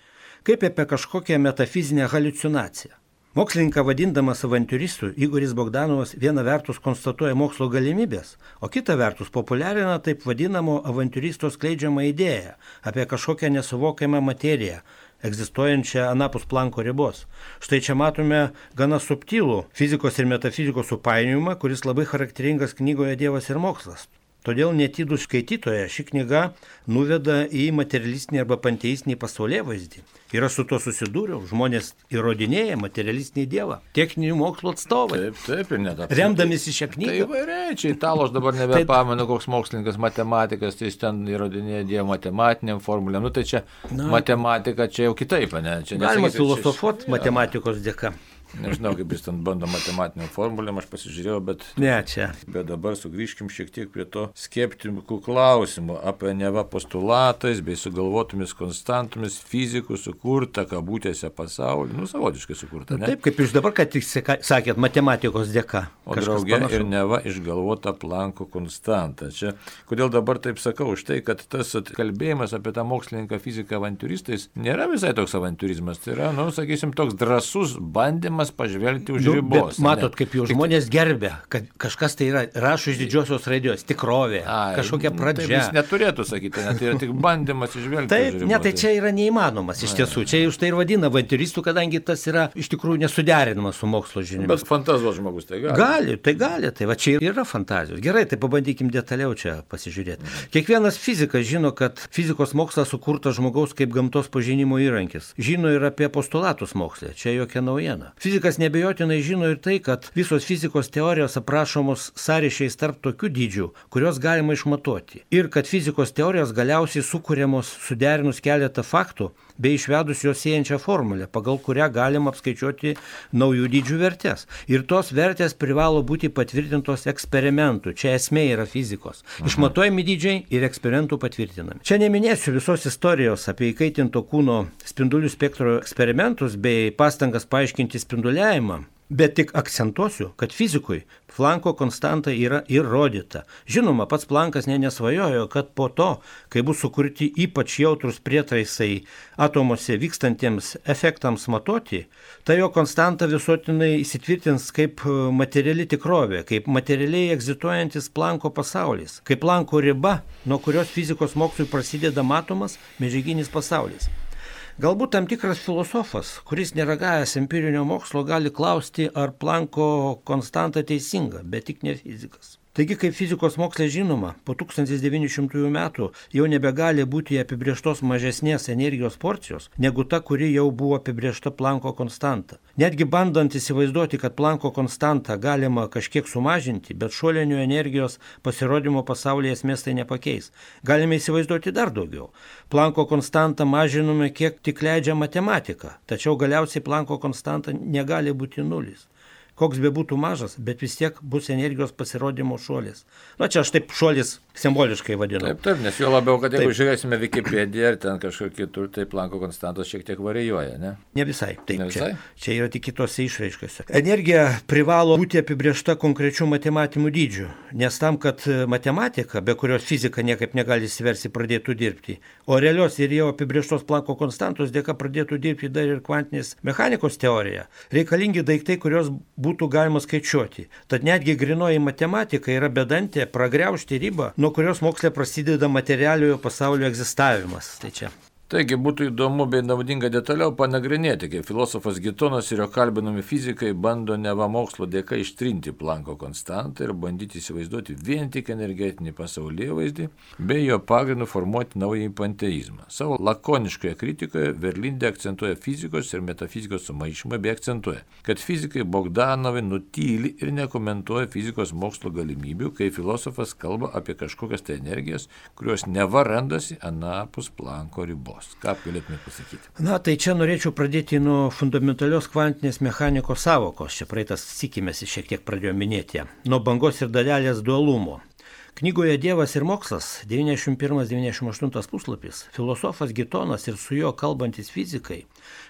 Kaip apie kažkokią metafizinę haliucinaciją. Mokslininką vadindamas avantiūristu, Igoris Bogdanovas viena vertus konstatuoja mokslo galimybės, o kita vertus populiarina taip vadinamo avantiūristo skleidžiamą idėją apie kažkokią nesuvokiamą materiją, egzistuojančią anapus Plancko ribos. Štai čia matome gana subtilų fizikos ir metafizikos supainiojimą, kuris labai charakteringas knygoje Dievas ir mokslas. Todėl netidų skaitytoją ši knyga nuveda į materialistinį arba panteistinį pasaulėvaizdį. Ir aš su to susidūriau, žmonės įrodinėja materialistinį dievą, techninių mokslo atstovai. Taip, ir net apskritai. Remdamisi šią knygą. Tai įvairiai, čia Italas dabar nebepamenu, koks mokslininkas, matematikas, tai jis ten įrodinėja dievą matematiniam formulėm. Nu tai čia matematika, čia jau kitaip, ne? Čia galima filosofuoti matematikos dėka. Nežinau, kaip jis ten bando matematiniam formulėm, aš pasižiūrėjau, bet... Ne, čia. Bet dabar sugrįžkim šiek tiek prie to skeptikų klausimų apie neva postulatais bei sugalvotomis konstantomis fizikų sukurtą kabutėse pasaulį. Nu, savotiškai sukurtą, ne? Taip, kaip jūs dabar, kad tik sakėt, matematikos dėka. O draugė ir neva išgalvota Plancko konstanta. Čia, kodėl dabar taip sakau, už tai, kad tas kalbėjimas apie tą mokslininką fiziką avantiūristais nėra visai toks avantiūrizmas. Tai yra, nu, sakysim, toks drąsus bandymas pažvelgti už ribos. Bet matot, kaip jau žmonės gerbia, kad kažkas tai yra, rašo iš didžiosios raidės, tikrovė, kažkokia pradžia. Taip jis neturėtų sakyti, tai yra tik bandymas išvelgti. Taip, ne, tai čia yra neįmanomas iš tiesų. Čia už tai ir vadina avantiūristų, kadangi tas yra iš tikrųjų nesuderinamas su mokslo žiniomis. Bet fantazuos žmogus tai gali. Gali, tai va čia yra fantazijos. Gerai, tai pabandykim detaliau čia pasižiūrėti. Kiekvienas fizikas žino, kad fizikos mokslas sukurtas žmogaus kaip gamtos pažinimo įrankis. Žino ir apie postulatus moksle, čia jokia naujiena. Fizikas nebejotinai žino ir tai, kad visos fizikos teorijos aprašomos sąryšiais tarp tokių dydžių, kurios galima išmatuoti. Ir kad fizikos teorijos galiausiai sukūriamos suderinus keletą faktų bei išvedus jos siejančią formulę, pagal kurią galima apskaičiuoti naujų dydžių vertės. Ir tos vertės privalo būti patvirtintos eksperimentų. Čia esmė yra fizikos. Išmatuojami dydžiai ir eksperimentų patvirtinami. Čia neminėsiu visos istorijos apie įkaitinto kūno spindulių spektro eksperimentus bei pastangas paaiškinti spinduliavimą. Bet tik akcentuosiu, kad fizikui Plancko konstanta yra įrodyta. Žinoma, pats Planckas nesvajojo, kad po to, kai bus sukurti ypač jautrus prietaisai atomuose vykstantiems efektams matuoti, tai jo konstanta visuotinai įsitvirtins kaip materiali tikrovė, kaip materialiai egzistuojantis Plancko pasaulis, kaip Plancko riba, nuo kurios fizikos mokslui prasideda matomas medžiaginis pasaulis. Galbūt tam tikras filosofas, kuris neragavęs empirinio mokslo, gali klausti, ar Plancko konstanta teisinga, bet tik ne fizikas. Taigi, kaip fizikos moksle žinoma, po 1900 metų jau nebegali būti apibrėžtos mažesnės energijos porcijos, negu ta, kuri jau buvo apibrėžta Plancko konstanta. Netgi bandant įsivaizduoti, kad Plancko konstantą galima kažkiek sumažinti, bet šuolinių energijos pasirodymo pasaulyje esmės tai nepakeis. Galime įsivaizduoti dar daugiau. Plancko konstantą mažiname, kiek tik leidžia matematika, tačiau galiausiai Plancko konstanta negali būti nulis. Koks be būtų mažas, bet vis tiek bus energijos pasirodymo šuolis. Na čia aš taip šuolis simboliškai vadinu. Taip, nes jo labiau, kad jeigu žiūrėsime Wikipediją ir ten kažkur kitur, tai Plancko konstantos šiek tiek varijuoja, ne? Ne visai. Taip, ne visai? Čia yra tik kitose išraiškose. Energija privalo būti apibrėžta konkrečių matematinių dydžių, nes tam, kad matematika, be kurios fizika niekaip negali įsiversti, pradėtų dirbti, o realios ir jau apibrėžtos Plancko konstantos dėka pradėtų dirbti dar ir kvantinės mechanikos teorija, reikalingi daiktai, kurios būtų galima skaičiuoti. Tad netgi grinoji matematika yra bedantė pragriaužti ribą, nuo kurios moksle prasideda materialiojo pasaulio egzistavimas. Tai čia. Taigi būtų įdomu bei naudinga detaliau panagrinėti, kaip filosofas Gitonas ir jo kalbinami fizikai bando neva mokslo dėka ištrinti Plancko konstantą ir bandyti įsivaizduoti vien tik energetinį pasaulėvaizdį, bei jo pagrindu formuoti naująjį panteizmą. Savo lakoniškoje kritikoje Verlinde akcentuoja fizikos ir metafizikos sumaišymą bei akcentuoja, kad fizikai Bogdanovai nutyli ir nekomentuoja fizikos mokslo galimybių, kai filosofas kalba apie kažkokias tai energijas, kurios neva randasi anapus Plancko ribos. Ką galėtume pasakyti? Na, tai čia norėčiau pradėti nuo fundamentalios kvantinės mechanikos sąvokos. Čia praeitas sikimės šiek tiek pradėjo minėti. Nuo bangos ir dalelės dualumo. Knygoje Dievas ir mokslas, 91-98 puslapis, filosofas Gitonas ir su juo kalbantis fizikai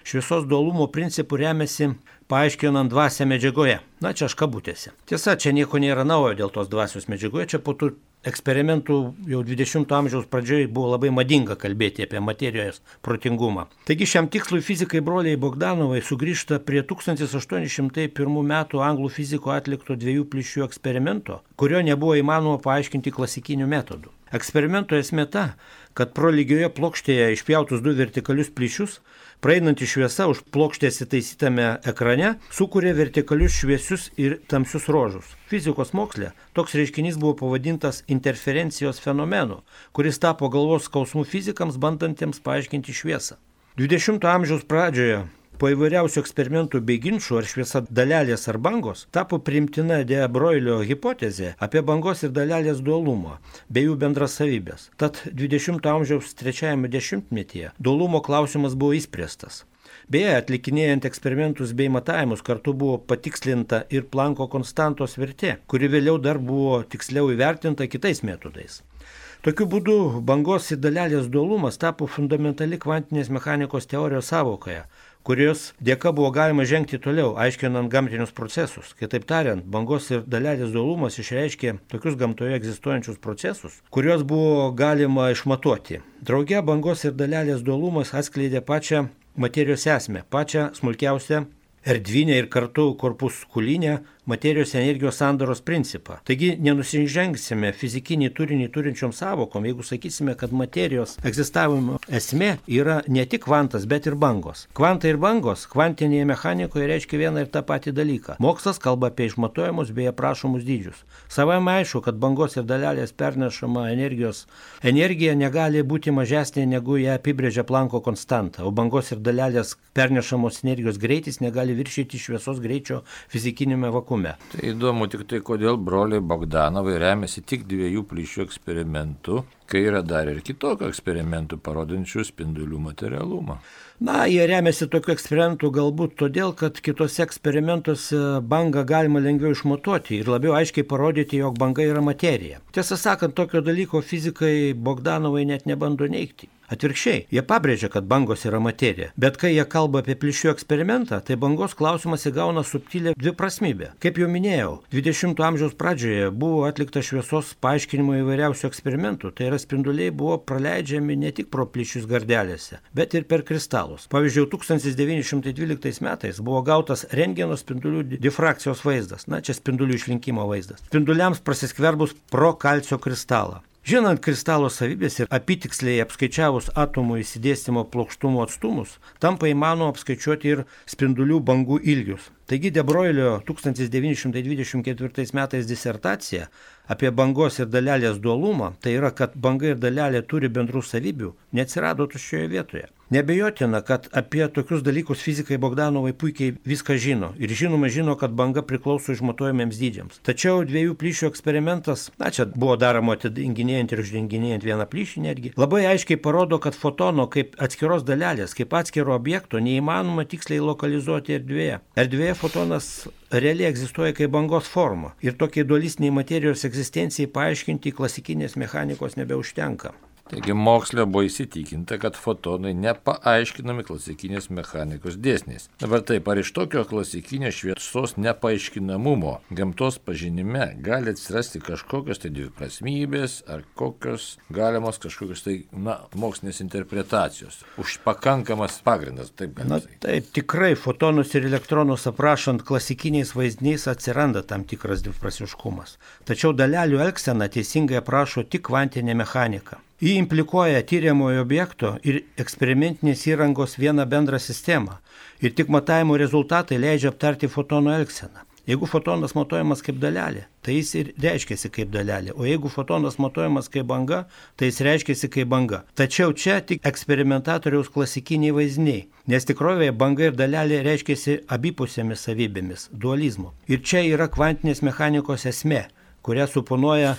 šviesos dualumo principų remiasi paaiškinant dvasią medžiagoje. Na, čia aš kabutėse. Tiesa, čia nieko nėra naujo dėl tos dvasios medžiagoje, čia po tų eksperimentų jau 20 amžiaus pradžioje buvo labai madinga kalbėti apie materijos protingumą. Taigi šiam tikslui fizikai broliai Bogdanovai sugrįžta prie 1801 metų anglų fiziko atlikto 2 plyšių eksperimento, kurio nebuvo įmanoma paaiškinti klasikiniu metodu. Eksperimento esmė ta, kad pro lygioje plokštėje išpjautus 2 vertikalius plyšius, praeinanti šviesa už plokštės įtaisytame ekrane sukuria vertikalius šviesius ir tamsius ruožus. Fizikos moksle toks reiškinys buvo pavadintas interferencijos fenomenu, kuris tapo galvos skausmų fizikams bandantiems paaiškinti šviesą. 20-ojo amžiaus pradžioje po įvairiausių eksperimentų bei ginčų ar šviesa dalelės ar bangos tapo priimtina de Broglio hipotezė apie bangos ir dalelės dualumą bei jų bendras savybės. Tad 20-ojo amžiaus 3-ame dešimtmetyje dualumo klausimas buvo išspręstas. Beje, atlikinėjant eksperimentus bei matavimus kartu buvo patikslinta ir Plancko konstantos vertė, kuri vėliau dar buvo tiksliau įvertinta kitais metodais. Tokiu būdu bangos ir dalelės dualumas tapo fundamentali kvantinės mechanikos teorijos sąvokoje, kurios dėka buvo galima žengti toliau, aiškinant gamtinius procesus. Kitaip tariant, bangos ir dalelės dualumas išreiškė tokius gamtoje egzistuojančius procesus, kuriuos buvo galima išmatuoti. Drauge bangos ir dalelės dualumas atskleidė pačią materijos esmę, pačią smulkiausią erdvinę ir kartu korpuskulinę materijos energijos sandaros principą. Taigi nenusižengsime fizikinį turinį turinčiom sąvokom, jeigu sakysime, kad materijos egzistavimo esmė yra ne tik kvantas, bet ir bangos. Kvantai ir bangos kvantinėje mechanikoje reiškia vieną ir tą patį dalyką. Mokslas kalba apie išmatuojamus bei aprašomus dydžius. Savaime aišku, kad bangos ir dalelės pernešama energija negali būti mažesnė negu ją apibrėžia Plancko konstanta, o bangos ir dalelės pernešamos energijos greitis negali viršyti šviesos greičio fizikinėme vakuume. Tai įdomu tik tai, kodėl broliai Bogdanovai remiasi tik 2 plyšių eksperimentu, kai yra dar ir kitokių eksperimentų parodančių spindulių materialumą. Jie remiasi tokiu eksperimentu galbūt todėl, kad kitose eksperimentuose bangą galima lengviau išmatuoti ir labiau aiškiai parodyti, jog banga yra materija. Tiesą sakant, tokio dalyko fizikai Bogdanovai net nebando neigti. Atvirkščiai, jie pabrėžia, kad bangos yra materija, bet kai jie kalba apie plyšių eksperimentą, tai bangos klausimas įgauna subtilę dviprasmybę. Kaip jau minėjau, 20-ojo amžiaus pradžioje buvo atlikta šviesos paaiškinimo įvairiausių eksperimentų, tai yra spinduliai buvo praleidžiami ne tik pro plyšius gardelėse, bet ir per kristalus. Pavyzdžiui, 1912 metais buvo gautas rentgeno spindulių difrakcijos vaizdas, čia spindulių išlinkimo vaizdas, spinduliams prasiskverbus pro kalcio kristalą. Žinant kristalo savybės ir apytiksliai apskaičiavus atomų išsidėstymo plokštumo atstumus, tampa įmanoma apskaičiuoti ir spindulių bangų ilgius. Taigi de Broglio 1924 metais disertacija apie bangos ir dalelės dualumą, tai yra, kad banga ir dalelė turi bendrų savybių, neatsirado tuščioje vietoje. Neabejotina, kad apie tokius dalykus fizikai Bogdanovai puikiai viską žino ir žino, kad banga priklauso išmatuojamiems dydžiams. Tačiau 2 plyšių eksperimentas, čia buvo daroma atidenginėjant ir uždenginėjant vieną plyšį netgi, labai aiškiai parodo, kad fotono kaip atskiros dalelės, kaip atskiro objekto neįmanoma tiksliai lokalizuoti erdvėje. Erdvėje fotonas realiai egzistuoja kaip bangos forma ir tokiai dualistiniai materijos egzistencijai paaiškinti klasikinės mechanikos nebeužtenka. Taigi moksle buvo įsitikinta, kad fotonai nepaaiškinami klasikinės mechanikos dėsniais. Dabar taip, ar iš tokio klasikinės šviesos nepaaiškinamumo gamtos pažinime gali atsirasti kažkokios tai dviprasmybės ar kokios galimos kažkokios tai mokslinės interpretacijos? Už pakankamas pagrindas, taip galima sakyti. Taip, tikrai fotonus ir elektronus aprašant klasikiniais vaizdiniais atsiranda tam tikras dviprasmiškumas. Tačiau dalelių elgseną teisingai aprašo tik kvantinė mechanika. Ji implikuoja tyriamojo objekto ir eksperimentinės įrangos vieną bendrą sistemą ir tik matavimo rezultatai leidžia aptarti fotono elgseną. Jeigu fotonas matuojamas kaip dalelė, tai jis ir reiškiasi kaip dalelė, o jeigu fotonas matuojamas kaip banga, tai jis reiškiasi kaip banga. Tačiau čia tik eksperimentatoriaus klasikiniai vaizdiniai, nes tikrovėje banga ir dalelė reiškiasi abipusėmis savybėmis, dualizmu. Ir čia yra kvantinės mechanikos esmė, kurią suponuoja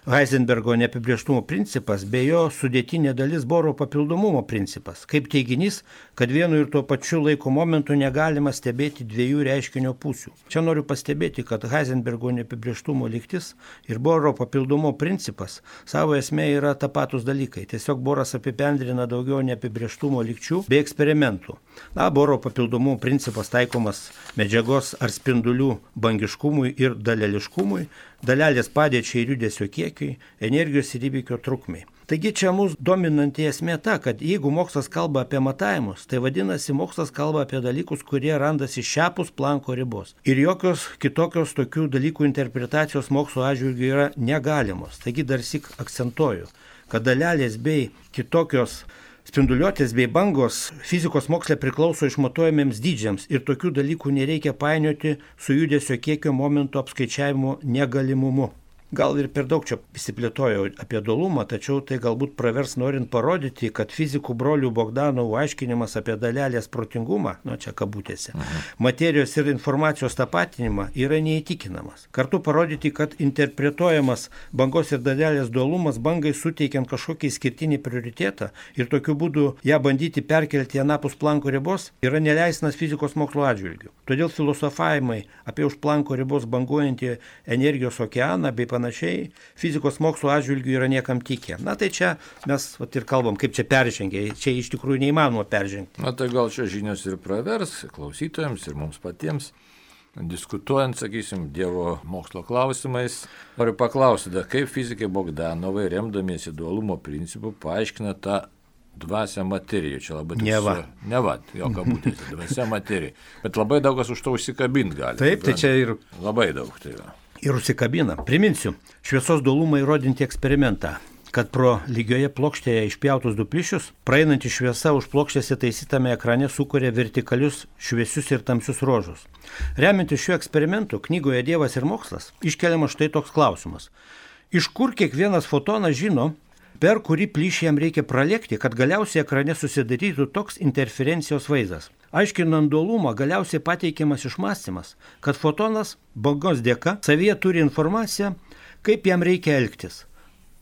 Heisenbergo neapibrėžtumo principas bei jo sudėtinė dalis Boro papildomumo principas, kaip teiginys, kad vienu ir tuo pačiu laiko momentu negalima stebėti 2 reiškinio pusių. Čia noriu pastebėti, kad Heisenbergo neapibrėžtumo lygtis ir Boro papildomumo principas savo esmė yra tapatus dalykai. Tiesiog Boras apibendrina daugiau neapibrėžtumo lygčių bei eksperimentų. Boro papildomumo principas taikomas medžiagos ar spindulių bangiškumui ir daleliškumui, dalelės padėčiai ir judesio kiekiui, energijos ir įvykio trukmei. Taigi čia mūsų dominanti esmė ta, kad jeigu mokslas kalba apie matavimus, tai vadinasi mokslas kalba apie dalykus, kurie randasi šiapus Planko ribos. Ir jokios kitokios tokių dalykų interpretacijos mokslo atžvilgiu yra negalimos. Taigi dar syk akcentuoju, kad dalelės bei kitokios spinduliuotės bei bangos fizikos moksle priklauso išmatuojamiems dydžiams ir tokių dalykų nereikia painioti su judesio kiekio momento apskaičiavimo negalimumu. Gal ir per daug čia įsiplėtojau apie dualumą, tačiau tai galbūt pravers norint parodyti, kad fizikų brolių Bogdanovų aiškinimas apie dalelės protingumą, čia kabutėse, materijos ir informacijos tapatinimą yra neįtikinamas. Kartu parodyti, kad interpretuojamas bangos ir dalelės dualumas bangai suteikiant kažkokį išskirtinį prioritetą ir tokiu būdu ją bandyti perkelti anapus Planko ribos yra neleistinas fizikos mokslo atžvilgių. Todėl filosofavimai apie už Planko ribos banguojantį energijos okeaną bei panašiai fizikos mokslo atžvilgių yra niekam tikę. Tai čia mes ir kalbam, kaip čia peržengė. Čia iš tikrųjų neįmanoma peržengti. Tai gal čia žinios ir pravers klausytojams ir mums patiems. Diskutuojant, sakysim, Dievo mokslo klausimais, noriu paklausyti, kaip fizikai Bogdanovai, remdamiesi dualumo principu, paaiškina tą dvasią materiją. Čia labai jo kabutėse, dvasia materija. Bet labai daug kas už to užsikabint gali. Taip, tai čia ir labai daug tai yra. Ir užsikabina. Priminsiu, šviesos dualumą įrodinti eksperimentą, kad pro lygioje plokštėje išpjautus du plyšius, praeinanti šviesa už plokštės įtaisytame ekrane sukuria vertikalius šviesius ir tamsius ruožus. Remiantis šiuo eksperimentu, knygoje Dievas ir mokslas, iškeliamas štai toks klausimas. Iš kur kiekvienas fotonas žino, per kurį plyšį jam reikia pralėkti, kad galiausiai ekrane susidarytų toks interferencijos vaizdas. Aiškinant dualumą, galiausiai pateikiamas išmąstymas, kad fotonas bangos dėka savyje turi informaciją, kaip jam reikia elgtis.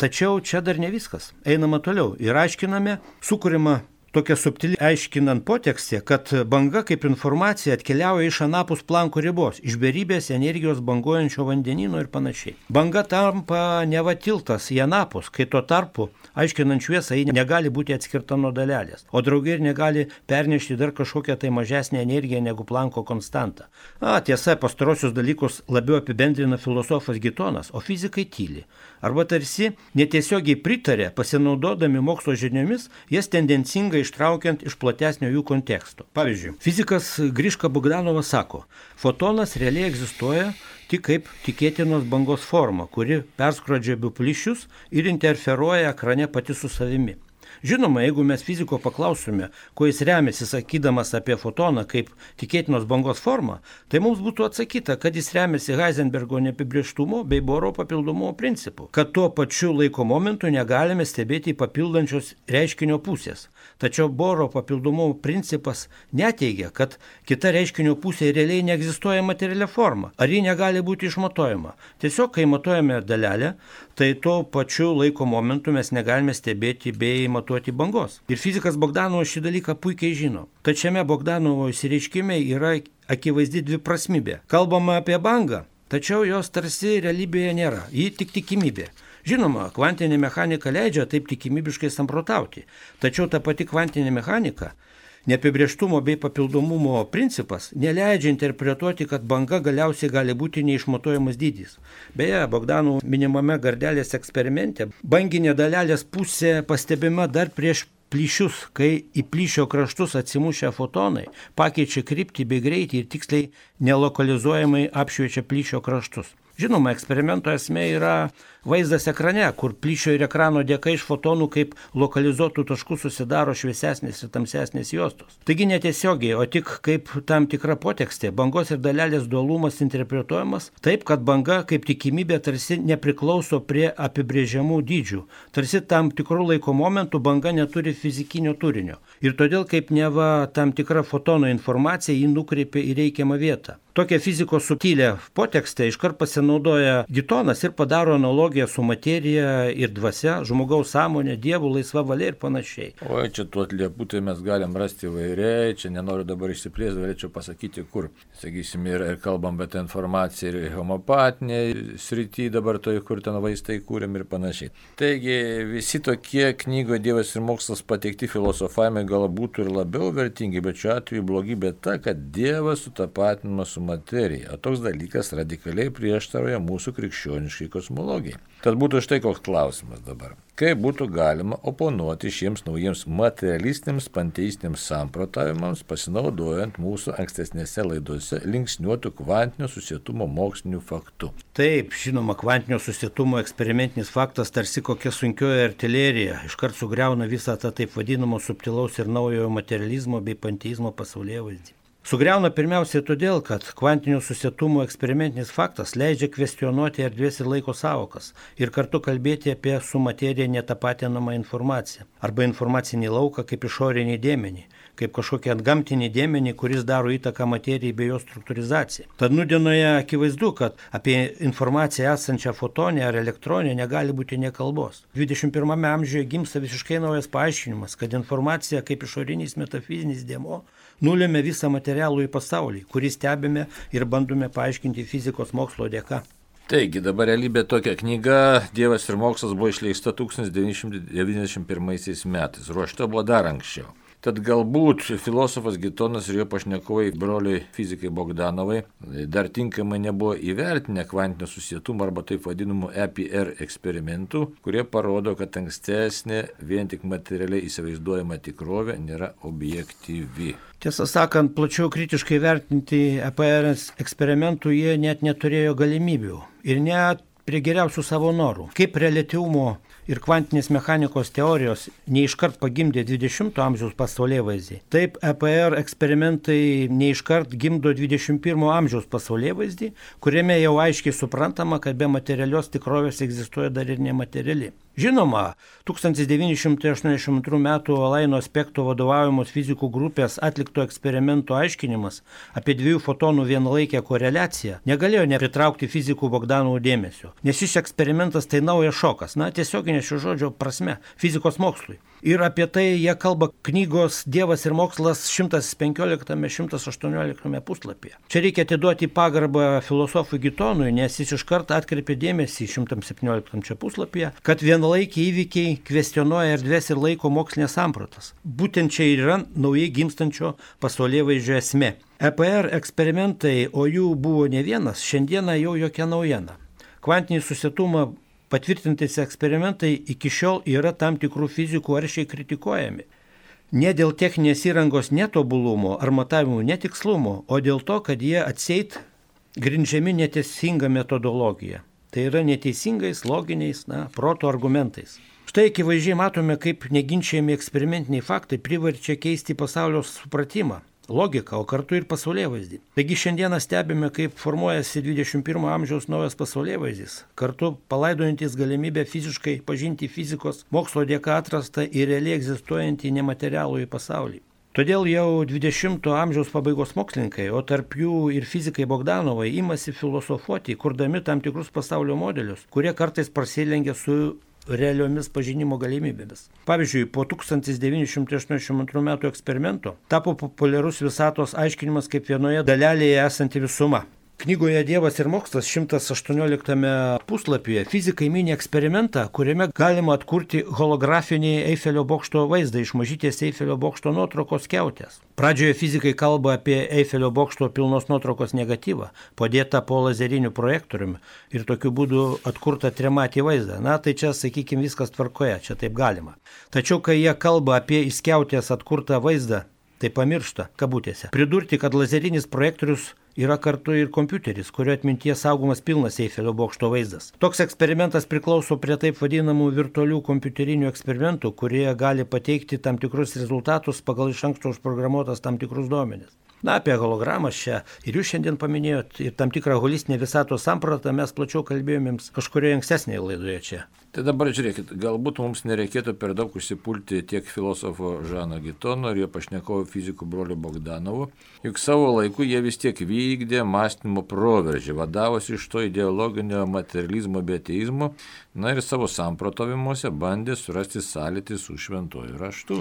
Tačiau čia dar ne viskas. Einama toliau ir aiškiname, sukūrima tokia subtili aiškinant potekstė, kad banga kaip informacija atkeliauja iš anapus Planko ribos, iš beribės energijos banguojančio vandenyno ir panašiai. Banga tampa neva tiltas į anapus, kai tuo tarpu, aiškinant šviesą, ji negali būti atskirta nuo dalelės, o drauge ir negali pernešti dar kažkokią tai mažesnę energiją negu Planko konstanta. Tiesa, pastarosius dalykus labiau apibendrina filosofas Gitonas, o fizikai tyli. Arba tarsi netiesiogiai pritarė, pasinaudodami mokslo žiniomis, jas tendencingai ištraukiant iš platesnio jų konteksto. Pavyzdžiui, fizikas Griška Bogdanovas sako, fotonas realiai egzistuoja tik kaip tikėtinos bangos forma, kuri perskrodžia abu plyšius ir interferuoja ekrane pati su savimi. Žinoma, jeigu mes fiziko paklausume, kuo jis remiasi sakydamas apie fotoną kaip tikėtinos bangos formą, tai mums būtų atsakyta, kad jis remiasi Heisenbergo neapibrėžtumo bei Boro papildomumo principu, kad tuo pačiu laiko momentu negalime stebėti papildančios reiškinio pusės. Tačiau Boro papildomumo principas neteigia, kad kita reiškinio pusė realiai neegzistuoja materialia forma, ar ji negali būti išmatuojama. Tiesiog, kai matuojame dalelę, tai tuo pačiu laiko momentu mes negalime stebėti bei matuoti bangos. Ir fizikas Bogdanovas šį dalyką puikiai žino. Tačiame Bogdanovo išsireiškime yra akivaizdi dviprasmybė. Kalbama apie bangą, tačiau jos tarsi realybėje nėra, ji tik tikimybė. Žinoma, kvantinė mechanika leidžia taip tikimybiškai samprotauti, tačiau ta pati kvantinė mechanika, neapibrėžtumo bei papildomumo principas neleidžia interpretuoti, kad banga galiausiai gali būti neišmatuojamas dydis. Beje, Bogdanovo minimame Gardelės eksperimente banginė dalelės pusė pastebima dar prieš plyšius, kai į plyšio kraštus atsimušę fotonai pakeičia kryptį bei greitį ir tiksliai nelokalizuojamai apšviečia plyšio kraštus. Žinoma, eksperimento esmė yra vaizdas ekrane, kur plyšio ir ekrano dėka iš fotonų kaip lokalizuotų taškų susidaro šviesesnės ir tamsesnės juostos. Taigi netiesiogiai, o tik kaip tam tikra potekstė, bangos ir dalelės dualumas interpretuojamas taip, kad banga kaip tikimybė tarsi nepriklauso prie apibrėžiamų dydžių. Tarsi tam tikrų laiko momentų banga neturi fizikinio turinio. Ir todėl kaip neva tam tikra fotono informacija jį nukreipia į reikiamą vietą. Tokią fizikos subtilę potekstę iškart pasinaudoja Gitonas ir padaro analogiją su materija ir dvasia, žmogaus sąmonė, dievų, laisva valia ir panašiai. O čia tų atliepų tai mes galim rasti įvairiai, čia nenoriu dabar išsiplėsti, galėčiau pasakyti, kur, sakysim, ir kalbam apie tą informaciją ir homeopatinė srity dabar toj, kur ten vaistai kūrėm ir panašiai. Taigi visi tokie knygoje Dievas ir mokslas pateikti filosofavimai galbūt būtų ir labiau vertingi, bet šiuo atveju blogybė ta, kad Dievas sutapatinamas su materija, o toks dalykas radikaliai prieštarauja mūsų krikščioniškai kosmologijai. Tad būtų štai koks klausimas dabar. Kaip būtų galima oponuoti šiems naujiems materialistiniams panteistiniams samprotavimams, pasinaudojant mūsų ankstesnėse laidose linksniuotų kvantinio susietumo mokslinių faktų? Taip, žinoma, kvantinio susietumo eksperimentinis faktas tarsi kokia sunkioji artilerija, iškart sugriauna visą tą taip vadinamo subtilaus ir naujojo materializmo bei panteizmo pasaulėvaizdį. Sugriauna pirmiausiai todėl, kad kvantinio susietumo eksperimentinis faktas leidžia kvestionuoti erdvės ir laiko sąvokas ir kartu kalbėti apie su materija netapatinamą informaciją arba informacinį lauką kaip išorinį dėmenį, kaip kažkokį antgamtinį dėmenį, kuris daro įtaką materijai bei jos struktūrizacijai. Tad nūdienoje akivaizdu, kad apie informaciją esančią fotonę ar elektronę negali būti nė kalbos. 21 amžiuje gimsta visiškai naujas paaiškinimas, kad informacija kaip išorinis metafizinis dėmuo nulėmė visą materialų į pasaulį, kurį stebime ir bandome paaiškinti fizikos mokslo dėka. Taigi, dabar realybė tokia knyga Dievas ir mokslas buvo išleista 1991 metais, ruošta buvo dar anksčiau. Tad galbūt filosofas Gitonas ir jo pašnekovai, broliai fizikai Bogdanovai, dar tinkamai nebuvo įvertinę kvantinio susietumo arba taip vadinamų EPR eksperimentų, kurie parodo, kad ankstesnė vien tik materialiai įsivaizduojama tikrovė nėra objektyvi. Tiesą sakant, plačiau kritiškai vertinti EPR eksperimentų jie net neturėjo galimybių ir net prie geriausių savo norų. Kaip reliatyvumo ir kvantinės mechanikos teorijos neiškart pagimdė 20 amžiaus pasaulėvaizdį, taip EPR eksperimentai neiškart gimdo 21 amžiaus pasaulėvaizdį, kuriame jau aiškiai suprantama, kad be materialios tikrovės egzistuoja dar ir nemateriali. Žinoma, 1982 m. Alaino Spekto vadovaujamos fizikų grupės atlikto eksperimento aiškinimas apie dviejų fotonų vienalaikę koreliaciją negalėjo nepritraukti fizikų Bogdanovo dėmesio, nes šis eksperimentas tai naujas šokas, tiesioginė šio žodžio prasme, fizikos mokslui. Ir apie tai jie kalba knygos Dievas ir mokslas 115-118 puslapyje. Čia reikia atiduoti pagarbą filosofui Gitonui, nes jis iškart atkreipė dėmesį 117 puslapyje, kad vienalaikiai įvykiai kvestionuoja erdvės ir laiko mokslinės sampratas. Būtent čia yra naujai gimstančio pasaulėvaizdžio esmė. EPR eksperimentai, o jų buvo ne vienas, šiandieną jau jokia naujiena. Kvantinį susietumą patvirtintais eksperimentai iki šiol yra tam tikrų fizikų aršiai kritikuojami. Ne dėl techninės įrangos netobulumo ar matavimų netikslumo, o dėl to, kad jie atseit grindžiami neteisinga metodologija. Tai yra neteisingais, loginiais, proto argumentais. Štai akivaizdžiai matome, kaip neginčiami eksperimentiniai faktai priverčia keisti pasaulio supratimą, logiką, o kartu ir pasaulėvaizdį. Taigi šiandieną stebime, kaip formuojasi 21 amžiaus naujas pasaulėvaizdis, kartu palaidojantis galimybę fiziškai pažinti fizikos mokslo dėka atrastą ir realiai egzistuojantį nematerialųjį pasaulį. Todėl jau 20 amžiaus pabaigos mokslininkai, o tarp jų ir fizikai Bogdanovai, imasi filosofuoti, kurdami tam tikrus pasaulio modelius, kurie kartais prasilengia su realiomis pažinimo galimybėmis. Pavyzdžiui, po 1982 m. eksperimento tapo populiarus visatos aiškinimas kaip vienoje dalelėje esanti visuma. Knygoje Dievas ir mokslas 118 puslapyje fizikai mini eksperimentą, kuriame galima atkurti holografinį Eifelio bokšto vaizdą iš mažytės Eifelio bokšto nuotraukos skiautės. Pradžioje fizikai kalba apie Eifelio bokšto pilnos nuotraukos negatyvą, padėtą po lazeriniu projektoriumi ir tokiu būdu atkurtą trimatį vaizdą. Tai čia, sakykime, viskas tvarkoje, čia taip galima. Tačiau, kai jie kalba apie iš skiautės atkurtą vaizdą, tai pamiršta, kabutėse, pridurti, kad lazerinis projektorius yra kartu ir kompiuteris, kurio atminties saugomas pilnas Eifelio bokšto vaizdas. Toks eksperimentas priklauso prie taip vadinamų virtualių kompiuterinių eksperimentų, kurie gali pateikti tam tikrus rezultatus pagal iš anksto užprogramuotas tam tikrus duomenis. Apie hologramas čia ir jūs šiandien paminėjot ir tam tikrą holistinę visatos sampratą mes plačiau kalbėjomėms kažkurioje ankstesnėje laidoje čia. Tai dabar žiūrėkit, galbūt mums nereikėtų per daug užsipulti tiek filosofo Žano Gitono ir jo pašnekovo fizikų brolio Bogdanovo, juk savo laiku jie vis tiek vykdė mąstymo proveržį, vadavosi iš to ideologinio materializmo bei ateizmo, ir savo samprotavimuose bandė surasti sąlytį su šventuoju raštu.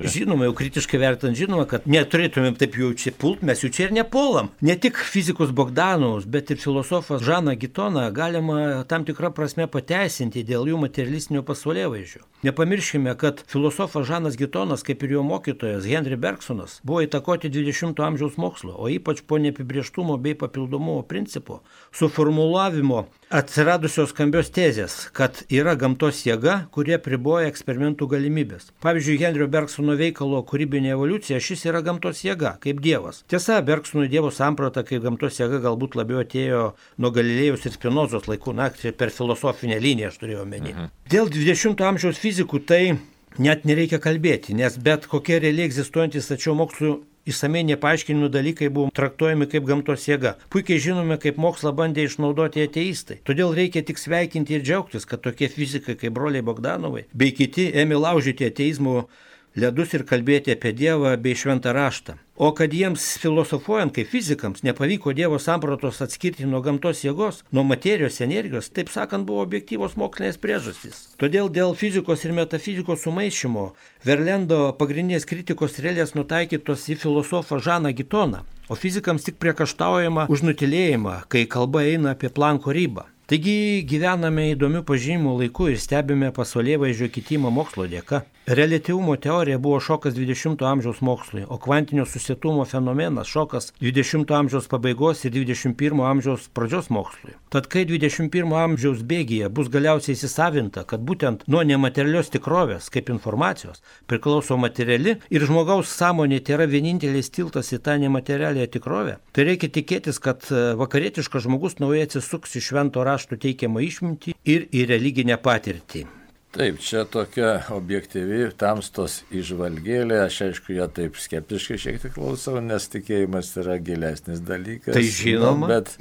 Žinoma, jau kritiškai vertant, žinoma, kad neturėtumėm taip jau čia pult, mes jų čia ir nepuolam. Ne tik fizikus Bogdanovus, bet ir filosofas Žaną Gitoną galima tam tikrą prasme pateisinti, kalbėti dėl jų materialistinio pasaulėvaizdžio. Nepamirškime, kad filosofas Žanas Gitonas, kaip ir jo mokytojas Henry Bergsonas, buvo įtakoti 20-ojo amžiaus mokslo, o ypač po neapibrėžtumo bei papildomumo principo suformulavimo atsiradusios skambios tezės, kad yra gamtos jėga, kurie priboja eksperimentų galimybės. Pavyzdžiui, Henrio Bergsono veikalo Kūrybinė evoliucija šis yra gamtos jėga, kaip dievas. Tiesa, Bergsonui dievo samprata kaip gamtos jėga galbūt labiau atėjo nuo Galilėjaus ir Spinozos laikų, per filosofinę liniją aš turėjau omeny. Dėl 20-ojo amžiaus fizikų tai net nereikia kalbėti, nes bet kokie realiai egzistuojantis tačiau mokslų išsamiai nepaaiškinimų dalykai buvo traktuojami kaip gamtos jėga. Puikiai žinome, kaip mokslą bandė išnaudoti ateistai. Todėl reikia tik sveikinti ir džiaugtis, kad tokie fizikai kaip broliai Bogdanovai bei kiti ėmė laužyti ateizmo ledus ir kalbėti apie Dievą bei šventą raštą. O kad jiems filosofuojant kaip fizikams nepavyko Dievo sampratos atskirti nuo gamtos jėgos, nuo materijos energijos, taip sakant, buvo objektyvos mokslinės priežastys. Todėl dėl fizikos ir metafizikos sumaišymo Verlendo pagrindinės kritikos strėlės nutaikytos į filosofą Žaną Gitoną, o fizikams tik priekaištaujama už nutylėjimą, kai kalba eina apie Planko ribą. Taigi gyvename įdomių pažinimų laiku ir stebime pasaulėvaizdžio kitimą mokslo dėka. Reliatyvumo teorija buvo šokas 20-ojo amžiaus mokslui, o kvantinio susietumo fenomenas šokas 20-ojo amžiaus pabaigos ir 21-ojo amžiaus pradžios mokslui. Tad kai 21-ojo amžiaus bėgyje bus galiausiai įsisavinta, kad būtent nuo nematerialios tikrovės, kaip informacijos, priklauso materiali ir žmogaus sąmonė tai yra vienintelis tiltas į tą nematerialią tikrovę, tai reikia tikėtis, kad vakarietiškas žmogus naujai atsisuks į švento rašto teikiamą išmintį ir į religinę patirtį. Taip, čia tokia objektyvi tamstos įžvalgėlė, aš aišku, ją taip skeptiškai šiek tiek klausau, nes tikėjimas yra gilesnis dalykas. Tai žinoma. Bet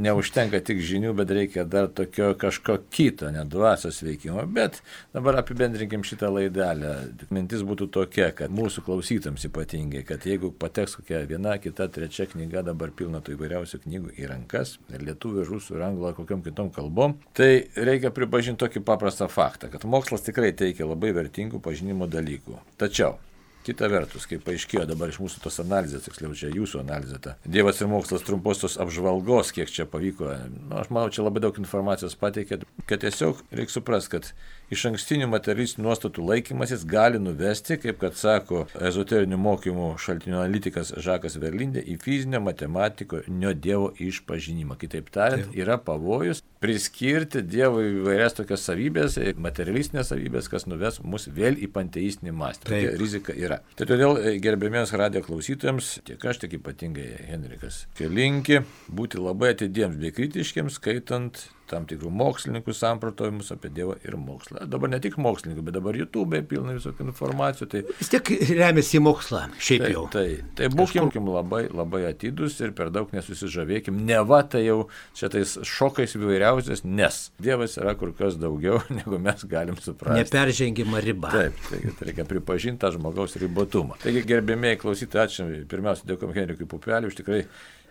neužtenka tik žinių, bet reikia dar tokio kažko kito, ne dvasios veikimo. Bet dabar apibendrinkim šitą laidelę. Mintis būtų tokia, kad mūsų klausytams ypatingai, kad jeigu pateks kokia viena, kita, trečia knyga, dabar pilna tų įvairiausių knygų į rankas, ir lietuvių, rusų, ir anglų, kokiom kitom kalbom, tai reikia pripažinti tokį paprastą faktą, kad mokslas tikrai teikia labai vertingų pažinimo dalykų. Tačiau, kita vertus, kaip paaiškėjo dabar iš mūsų tos analizės, tiksliau čia jūsų analizė, Dievas ir mokslas trumposios apžvalgos, kiek čia pavyko, aš manau, čia labai daug informacijos pateikė, kad tiesiog reikia suprasti, kad iš ankstinių materialistinių nuostatų laikymasis gali nuvesti, kaip kad sako ezoterinių mokymų šaltinių analitikas Žakas Verlindė, į fizinio matematiko Dievo išpažinimą. Kitaip tariant, yra pavojus priskirti Dievui įvairias tokias savybės, materialistinės savybės, kas nuves mus vėl į panteistinį mąstymą. Tokia rizika yra. Tai todėl gerbėmiems radijo klausytojams, tiek aš, tiek ypatingai Henrikas, linki būti labai atidiems bei kritiškiams, skaitant tam tikrų mokslininkų samprotavimus apie Dievą ir mokslą. Dabar ne tik mokslininkų, bet dabar YouTube pilna visokių informacijų. Tai vis tiek remiasi į mokslą, šiaip jau. Tai būkim labai, labai atidus ir per daug nesusižavėkim. Neva tai jau šitais šokais įvairiausias, nes Dievas yra kur kas daugiau, negu mes galim suprasti. Neperžengima riba. Taip, tai reikia pripažinti tą žmogaus ribotumą. Taigi, gerbėmėjai klausytojai, ačiū. Pirmiausia, dėkojom Henrikui Pupeliui už tikrai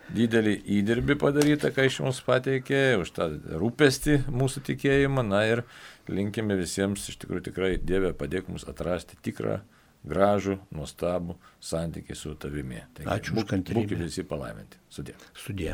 didelį įdirbį padarytą, ką iš mums pateikė, už tą rūpestį mūsų tikėjimą. Na ir linkime visiems, iš tikrųjų tikrai Dieve padėk mums atrasti tikrą, gražų, nuostabų santykį su tavimi. Taigi, ačiū už kantrybę. Būkite visi palaiminti. Sudie. Sudie.